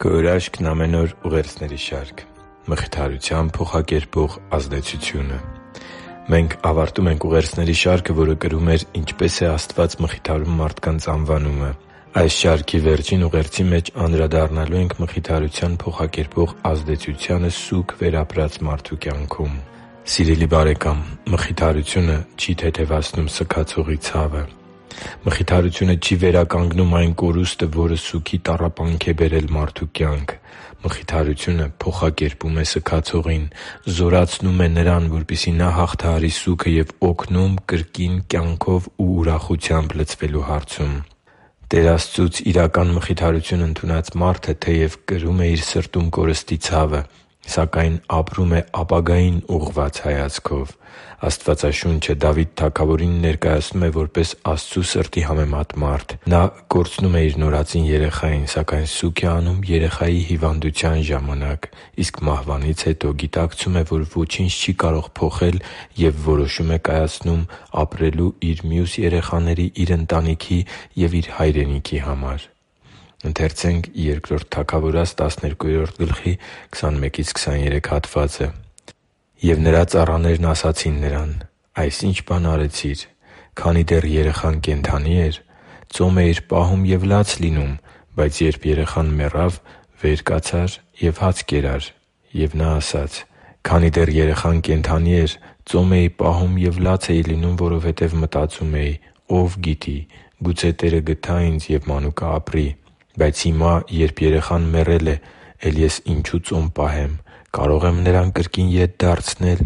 Քո հրաշքն ամեն օր ուղերձների շարք։ Մխիթարության փոխակերպող ազդեցությունը։ Մենք ավարտում ենք ուղերձների շարքը, որը կրում էր «Ինչպե՞ս է Աստված մխիթարում մարդկանց» անվանումը։ Այս շարքի վերջին ուղերձի մեջ անդրադառնալու ենք մխիթարության փոխակերպող ազդեցությանը սուգ վերապրած մարդու կյանքում։ Սիրելի՛ բարեկամ, մխիթարությունը չի թեթևացնում սգացողի ցավը։ Մխիթարությունը չի վերականգնում այն կորուստը, որը սուգի տառապանք է բերել մարդու կյանք։ Մխիթարությունը փոխակերպում է սգացողին, զորացնում է նրան, որպեսզի նա հաղթահարի սուգը և օգնում կրկին կյանքով ու ուրախությամբ լցվելու հարցում։ Տեր Աստծուց իրական մխիթարություն ընդունած մարդը թեև կրում է իր սրտում կորստի ցավը, սակայն ապրում է ապագային ուղղված հայացքով։ Աստվածաշունչը Դավիթ թագավորին ներկայացնում է որպես Աստծու սրտի համեմատ մարդ։ Նա կորցնում է իր նորածին երեխային, սակայն սուգ է անում երեխայի հիվանդության ժամանակ, իսկ մահվանից հետո գիտակցում է, որ ոչինչ չի կարող փոխել և որոշում է կայացնում ապրելու իր մյուս երեխաների, իր ընտանիքի և իր հայրենիքի համար։ «Եվ նրա ծառաներն ասացին նրան. «Այս ի՞նչ բան արեցիր. քանի դեռ երեխան կենդանի էր, ծոմ էիր պահում և լաց լինում, բայց երբ երեխան մեռավ, վեր կացար և հաց կերար»։ Եվ նա ասաց. «Քանի դեռ երեխան կենդանի էր, ծոմ էի պահում և լաց էի լինում, որովհետև մտածում էի. ով գիտի, գուցե Տերը գթա ինձ, և մանուկը ապրի։ Բայց հիմա, երբ երեխան մեռել է, էլ ես ինչու՞ ծոմ պահեմ. կարող եմ նրան կրկին ետ դարձնել։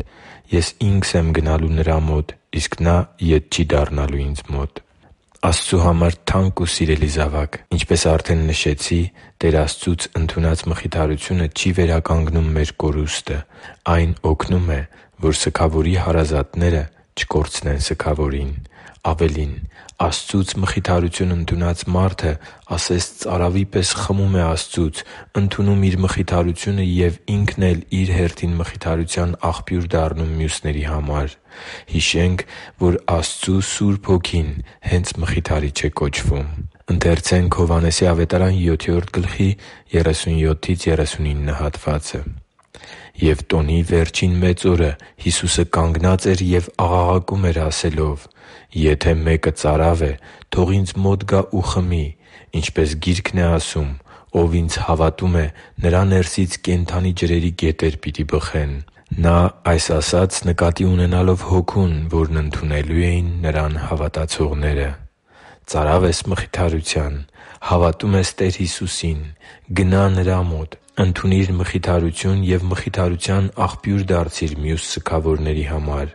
Ես ինքս եմ գնալու նրա մոտ, իսկ նա ետ չի դառնալու ինձ մոտ»։ Աստծու համար թանկ ու սիրելի՛ զավակ, ինչպես արդեն նշեցի, Տեր Աստծուց ընդունած մխիթարությունը չի վերականգնում մեր կորուստը։ Այն օգնում է, որ սգավորի հարազատները չկորցնեն սգավորին։ Ավելին, Աստծուց մխիթարություն ընդունած մարդը ասես ծարավի պես խմում է Աստծուց, ընդունում իր մխիթարությունը և ինքն էլ իր հերթին մխիթարության աղբյուր դառնում մյուսների համար։ Հիշենք, որ Աստծու Սուրբ Հոգին հենց Մխիթարիչ է կոչվում։ «Եվ տոնի վերջին մեծ օրը Հիսուսը կանգնած էր և աղաղակում էր ասելով. «Եթե մեկը ծարավ է, թող ինձ մոտ գա ու խմի։ Ինչպես Գիրքն է ասում. «Ով ինձ հավատում է, նրա ներսից կենդանի ջրերի գետեր պիտի բխեն»»։ Նա այս ասաց՝ նկատի ունենալով Հոգուն, որն ընդունելու էին Նրան հավատացողները։ Ծարավ ես մխիթարության։ Հավատում ես Տեր Հիսուսին։ Գնա՛ Նրա մոտ։ Ընդունի՛ր մխիթարություն և մխիթարության աղբյուր դարձի՛ր մյուս սգավորների համար։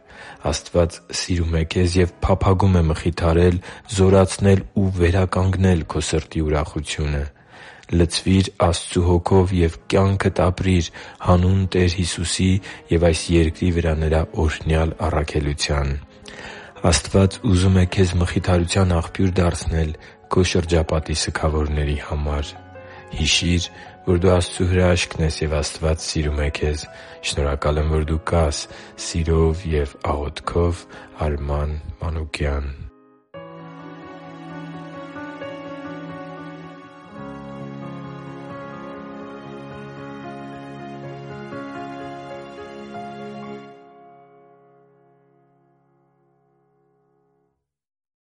Աստված սիրում է քեզ և փափագում է մխիթարել, զորացնել ու վերականգնել քո սրտի ուրախությունը։ Լցվի՛ր Աստծու Հոգով և կյանքդ ապրի՛ր հանուն Տեր Հիսուսի և այս երկրի վրա Նրա օրհնյալ առաքելության։ Աստված ուզում է քեզ մխիթարության աղբյուր դարձնել քո շրջապատի սգավորների համար։ Հիշի՛ր, որ դու Աստծո հրաշքն ես, և Աստված սիրում է քեզ։ Շնորհակալ եմ, որ դու կա՛ս։ Սիրով և աղոթքով, Արման Մանուկյան։